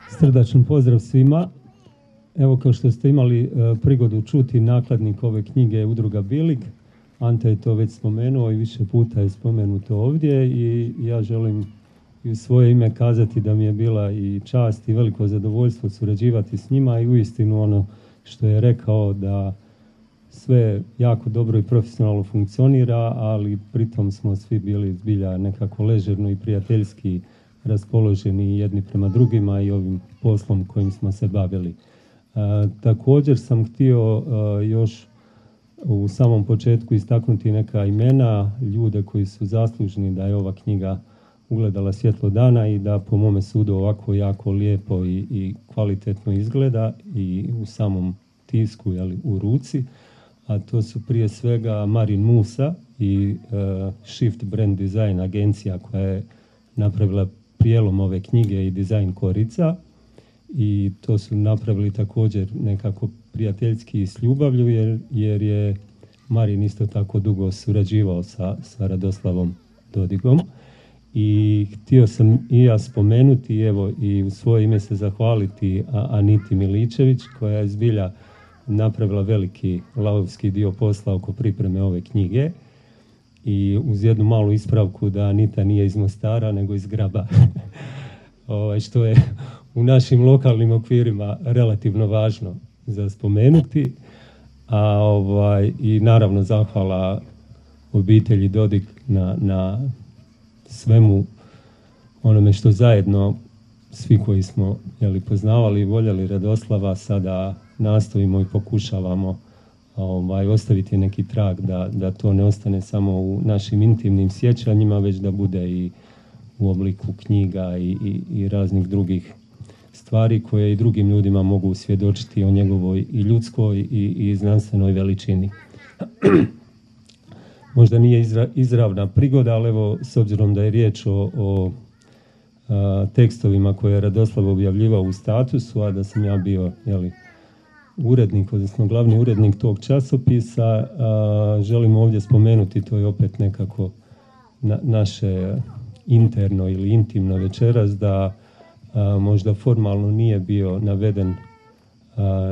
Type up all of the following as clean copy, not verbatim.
Srdačan pozdrav svima. Evo, kao što ste imali prigodu čuti, nakladnik ove knjige je Udruga Bilig. Ante je to već spomenuo i više puta je spomenuto ovdje i ja želim i u svoje ime kazati da mi je bila i čast i veliko zadovoljstvo surađivati s njima i uistinu ono što je rekao da sve jako dobro i profesionalno funkcionira, ali pritom smo svi bili zbilja nekako ležerno i prijateljski raspoloženi jedni prema drugima i ovim poslom kojim smo se bavili. Također sam htio još u samom početku istaknuti neka imena, ljude koji su zaslužni da je ova knjiga ugledala svjetlo dana i da po mome sudu ovako jako lijepo i kvalitetno izgleda i u samom tisku, u ruci. A to su prije svega Marin Musa i Shift Brand Design agencija koja je napravila prijelom ove knjige i dizajn korica. I to su napravili također nekako prijateljski i s ljubavlju jer je Marin isto tako dugo surađivao sa Radoslavom Dodigom. I htio sam i ja spomenuti, evo i u svoje ime se zahvaliti Aniti Miličević koja je zbilja napravila veliki lavovski dio posla oko pripreme ove knjige. I uz jednu malu ispravku da Anita nije iz Mostara nego iz Graba. Što je u našim lokalnim okvirima relativno važno za spomenuti. I naravno zahvala obitelji Dodig na svemu onome što zajedno svi koji smo poznavali i voljeli Radoslava sada nastojimo i pokušavamo ostaviti neki trag da to ne ostane samo u našim intimnim sjećanjima, već da bude i u obliku knjiga i raznih drugih stvari koje i drugim ljudima mogu svjedočiti o njegovoj i ljudskoj i znanstvenoj veličini. Možda nije izravna prigoda, ali evo, s obzirom da je riječ o tekstovima koje je Radoslav objavljivao u Statusu, a da sam ja bio urednik, odnosno glavni urednik tog časopisa, želim ovdje spomenuti, to je opet nekako naše interno ili intimno večeras, da možda formalno nije bio naveden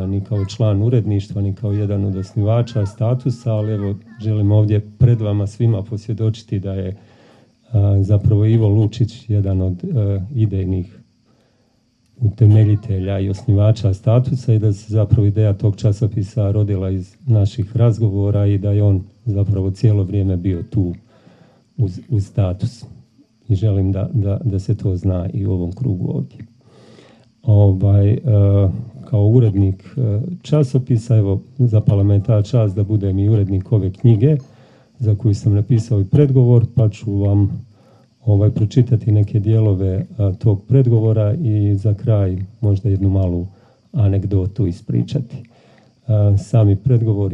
ni kao član uredništva, ni kao jedan od osnivača Statusa, ali evo želim ovdje pred vama svima posvjedočiti da je zapravo Ivo Lučić jedan od idejnih utemeljitelja i osnivača Statusa i da se zapravo ideja tog časopisa rodila iz naših razgovora i da je on zapravo cijelo vrijeme bio tu uz Status. I želim da se to zna i u ovom krugu ovdje. Kao urednik časopisa, evo, zapala me ta čast da budem i urednik ove knjige za koju sam napisao i predgovor, pa ću vam pročitati neke dijelove tog predgovora i za kraj možda jednu malu anegdotu ispričati. Sami predgovor,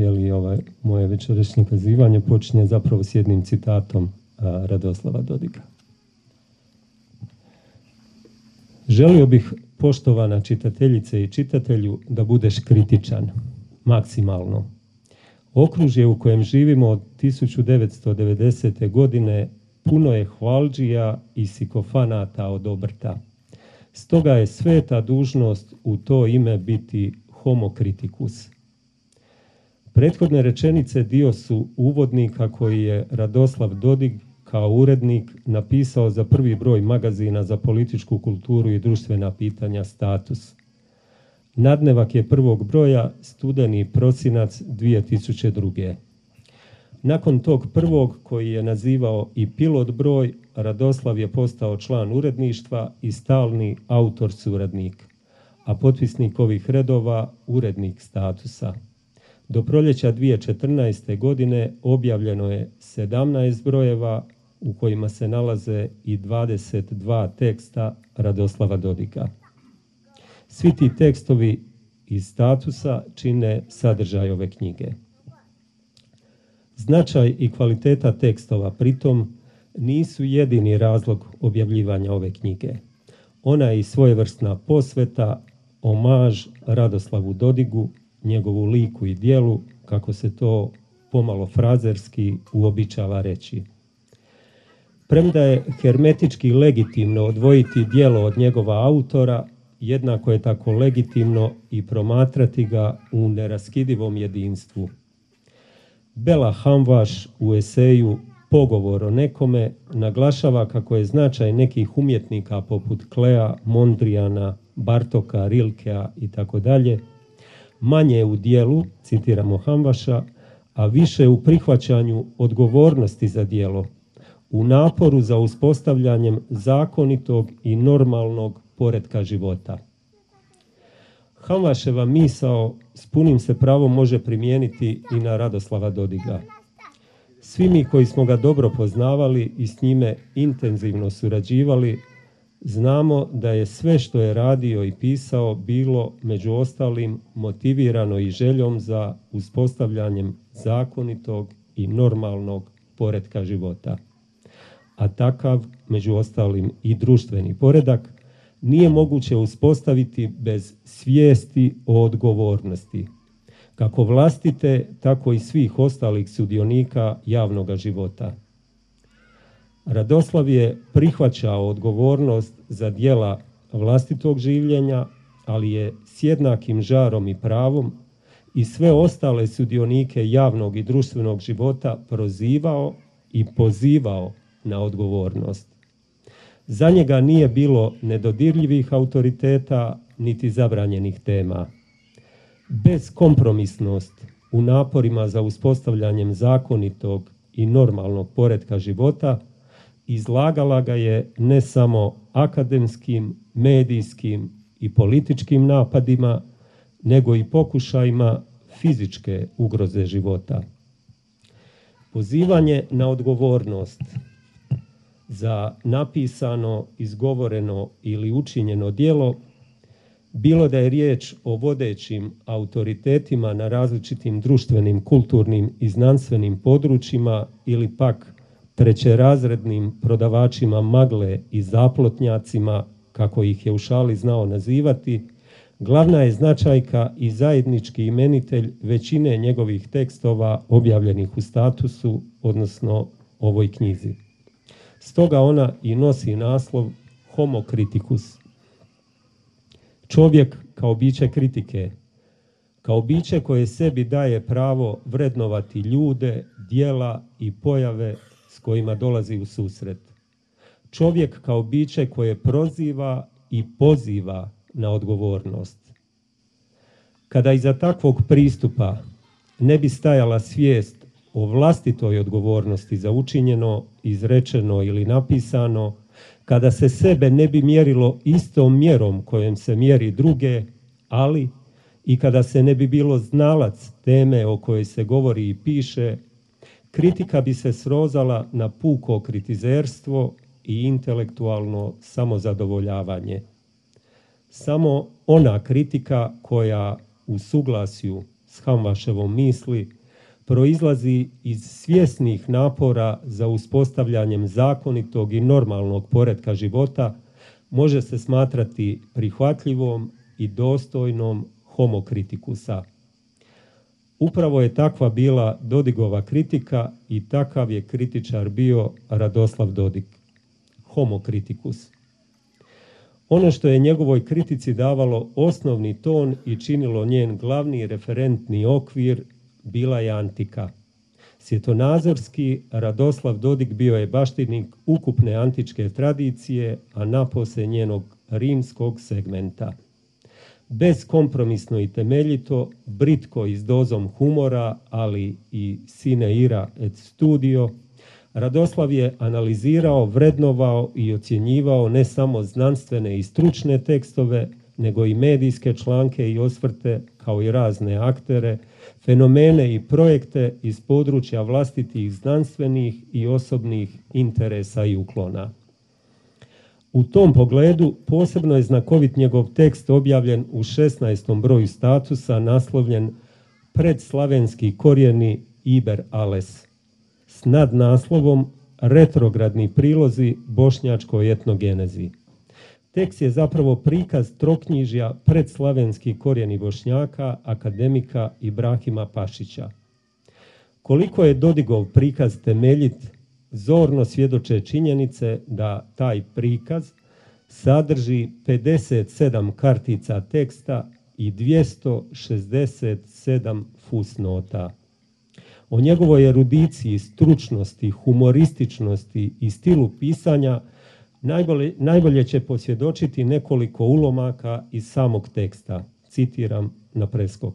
moje večerašnje kazivanje počinje zapravo s jednim citatom Radoslava Dodiga. Želio bih, poštovana čitateljice i čitatelju, da budeš kritičan, maksimalno. Okružje u kojem živimo od 1990. godine puno je hvaldžija i sikofanata od obrta. Stoga je sveta dužnost u to ime biti homo critikus. Prethodne rečenice dio su uvodnika koji je Radoslav Dodig kao urednik napisao za prvi broj magazina za političku kulturu i društvena pitanja Status. Nadnevak je prvog broja, studeni prosinac 2002. Nakon tog prvog, koji je nazivao i pilot broj, Radoslav je postao član uredništva i stalni autor suradnik, a potpisnik ovih redova urednik Statusa. Do proljeća 2014. godine objavljeno je 17 brojeva u kojima se nalaze i 22 teksta Radoslava Dodiga. Svi ti tekstovi iz Statusa čine sadržaj ove knjige. Značaj i kvaliteta tekstova pritom nisu jedini razlog objavljivanja ove knjige. Ona je i svojevrsna posveta, omaž Radoslavu Dodigu, njegovu liku i djelu, kako se to pomalo frazerski uobičava reći. Premda je hermetički legitimno odvojiti djelo od njegova autora, jednako je tako legitimno i promatrati ga u neraskidivom jedinstvu. Bela Hamvaš u eseju Pogovor o nekome naglašava kako je značaj nekih umjetnika poput Klea, Mondrijana, Bartoka, Rilkea itd. Manje u dijelu, citiramo Hamvaša, a više u prihvaćanju odgovornosti za djelo, u naporu za uspostavljanjem zakonitog i normalnog poretka života. Hamvaševa misao s punim se pravom može primijeniti i na Radoslava Dodiga. Svi mi koji smo ga dobro poznavali i s njime intenzivno surađivali, znamo da je sve što je radio i pisao bilo, među ostalim, motivirano i željom za uspostavljanjem zakonitog i normalnog poretka života. A takav, među ostalim i društveni poredak, nije moguće uspostaviti bez svijesti o odgovornosti, kako vlastite, tako i svih ostalih sudionika javnog života. Radoslav je prihvaćao odgovornost za djela vlastitog življenja, ali je s jednakim žarom i pravom i sve ostale sudionike javnog i društvenog života prozivao i pozivao na odgovornost. Za njega nije bilo nedodirljivih autoriteta niti zabranjenih tema. Beskompromisnost u naporima za uspostavljanjem zakonitog i normalnog poretka života izlagala ga je ne samo akademskim, medijskim i političkim napadima, nego i pokušajima fizičke ugroze života. Pozivanje na odgovornost za napisano, izgovoreno ili učinjeno djelo, bilo da je riječ o vodećim autoritetima na različitim društvenim, kulturnim i znanstvenim područjima ili pak trećerazrednim prodavačima magle i zaplotnjacima, kako ih je u šali znao nazivati, glavna je značajka i zajednički imenitelj većine njegovih tekstova objavljenih u Statusu, odnosno ovoj knjizi. Stoga ona i nosi naslov Homo criticus. Čovjek kao biće kritike, kao biće koje sebi daje pravo vrednovati ljude, djela i pojave s kojima dolazi u susret. Čovjek kao biće koje proziva i poziva na odgovornost. Kada iza takvog pristupa ne bi stajala svijest o vlastitoj odgovornosti za učinjeno, izrečeno ili napisano, kada se sebe ne bi mjerilo istom mjerom kojom se mjeri druge, ali i kada se ne bi bilo znalac teme o kojoj se govori i piše, kritika bi se srozala na puko kritizerstvo i intelektualno samozadovoljavanje. Samo ona kritika koja u suglasju s Hamvaševom misli proizlazi iz svjesnih napora za uspostavljanjem zakonitog i normalnog poretka života može se smatrati prihvatljivom i dostojnom homo criticusa. Upravo je takva bila Dodigova kritika i takav je kritičar bio Radoslav Dodig. Homo criticus. Ono što je njegovoj kritici davalo osnovni ton i činilo njen glavni referentni okvir bila je antika. Svjetonazorski Radoslav Dodig bio je baštinik ukupne antičke tradicije, a napose njenog rimskog segmenta. Bezkompromisno i temeljito, britko i s dozom humora, ali i sine ira et studio, Radoslav je analizirao, vrednovao i ocjenjivao ne samo znanstvene i stručne tekstove, nego i medijske članke i osvrte, kao i razne aktere, fenomene i projekte iz područja vlastitih znanstvenih i osobnih interesa i uklona. U tom pogledu posebno je znakovit njegov tekst objavljen u 16. broju Statusa, naslovljen Predslavenski korijeni Iber Ales, s nadnaslovom Retrogradni prilozi bošnjačkoj etnogenezi. Tekst je zapravo prikaz troknjižja Predslavenski korijeni Bošnjaka, akademika Ibrahima Pašića. Koliko je Dodigov prikaz temeljit, zorno svjedoče činjenice da taj prikaz sadrži 57 kartica teksta i 267 fusnota. O njegovoj erudiciji, stručnosti, humorističnosti i stilu pisanja najbolje će posvjedočiti nekoliko ulomaka iz samog teksta. Citiram na preskok.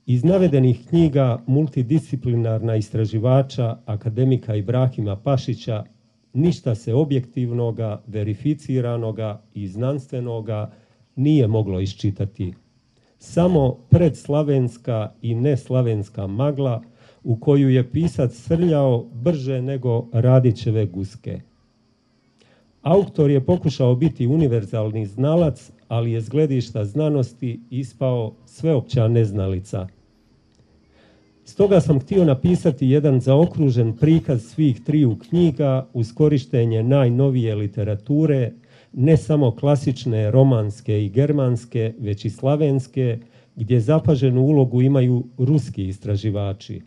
Iz navedenih knjiga multidisciplinarna istraživača akademika Ibrahima Pašića ništa se objektivnoga, verificiranoga i znanstvenoga nije moglo iščitati. Samo predslavenska i neslavenska magla u koju je pisac srljao brže nego Radićeve guske. Autor je pokušao biti univerzalni znalac, ali je s gledišta znanosti ispao sveopća neznalica. Stoga sam htio napisati jedan zaokružen prikaz svih triju knjiga uz korištenje najnovije literature, ne samo klasične, romanske i germanske, već i slavenske, gdje zapaženu ulogu imaju ruski istraživači.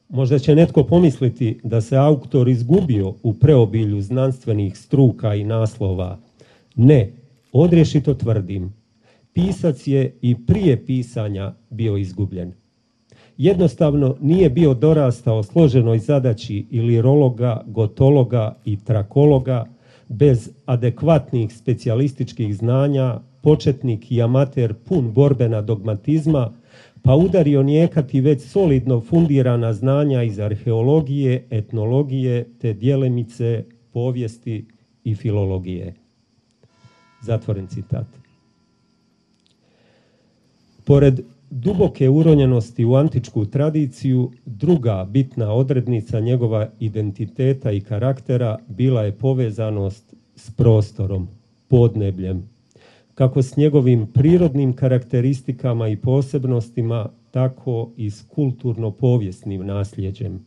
Možda će netko pomisliti da se autor izgubio u preobilju znanstvenih struka i naslova. Ne, odrješito tvrdim. Pisac je i prije pisanja bio izgubljen. Jednostavno nije bio dorastao složenoj zadaći ilirologa, gotologa i trakologa, bez adekvatnih specijalističkih znanja, početnik i amater pun borbena dogmatizma, pa udario nijekati već solidno fundirana znanja iz arheologije, etnologije te djelimice povijesti i filologije. Zatvoren citat. Pored duboke uronjenosti u antičku tradiciju, druga bitna odrednica njegova identiteta i karaktera bila je povezanost s prostorom, podnebljem, kako s njegovim prirodnim karakteristikama i posebnostima, tako i s kulturno-povijesnim nasljeđem.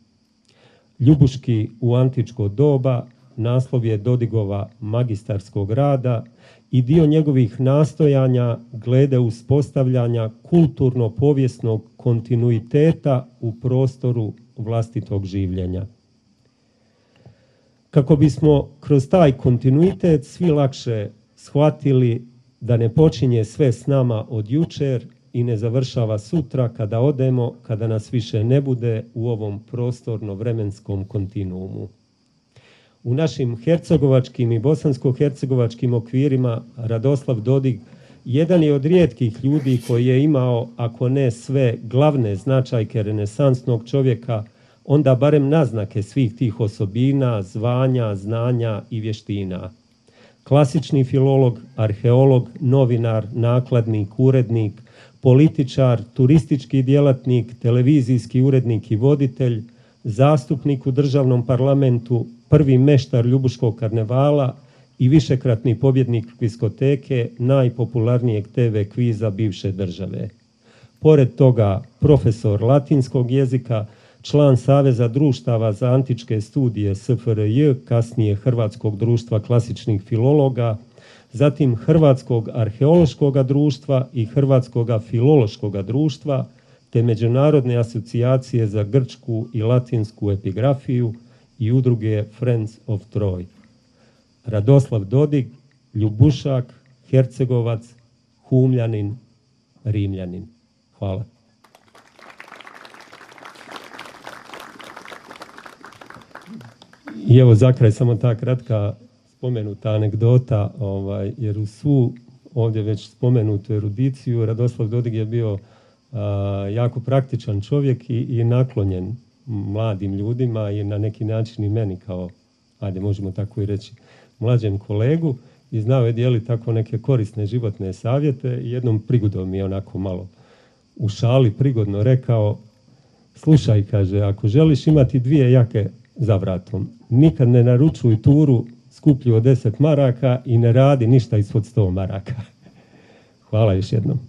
Ljubuški u antičko doba naslov je Dodigova magistarskog rada i dio njegovih nastojanja glede uspostavljanja kulturno-povijesnog kontinuiteta u prostoru vlastitog življenja. Kako bismo kroz taj kontinuitet svi lakše shvatili da ne počinje sve s nama od jučer i ne završava sutra kada odemo, kada nas više ne bude u ovom prostorno-vremenskom kontinuumu. U našim hercegovačkim i bosansko-hercegovačkim okvirima Radoslav Dodig jedan je od rijetkih ljudi koji je imao, ako ne sve glavne značajke renesansnog čovjeka, onda barem naznake svih tih osobina, zvanja, znanja i vještina. Klasični filolog, arheolog, novinar, nakladnik, urednik, političar, turistički djelatnik, televizijski urednik i voditelj, zastupnik u državnom parlamentu, prvi meštar Ljubuškog karnevala i višekratni pobjednik kviskoteke najpopularnijeg TV kviza bivše države. Pored toga, profesor latinskog jezika, član Saveza društava za antičke studije SFRJ, kasnije Hrvatskog društva klasičnih filologa, zatim Hrvatskog arheološkog društva i Hrvatskog filološkog društva, te Međunarodne asocijacije za grčku i latinsku epigrafiju i udruge Friends of Troy. Radoslav Dodig, Ljubušak, Hercegovac, Humljanin, Rimljanin. Hvala. I evo za kraj samo ta kratka spomenuta anegdota, jer u svu ovdje već spomenutu erudiciju Radoslav Dodig je bio jako praktičan čovjek i naklonjen mladim ljudima i na neki način i meni kao, ajde možemo tako i reći, mlađem kolegu, i znao je dijeliti tako neke korisne životne savjete. I jednom prigodom mi je onako malo u šali prigodno rekao: slušaj, kaže, ako želiš imati 2 jake za vratom, nikad ne naručuj turu skuplju od 10 maraka i ne radi ništa ispod 100 maraka. Hvala još jednom.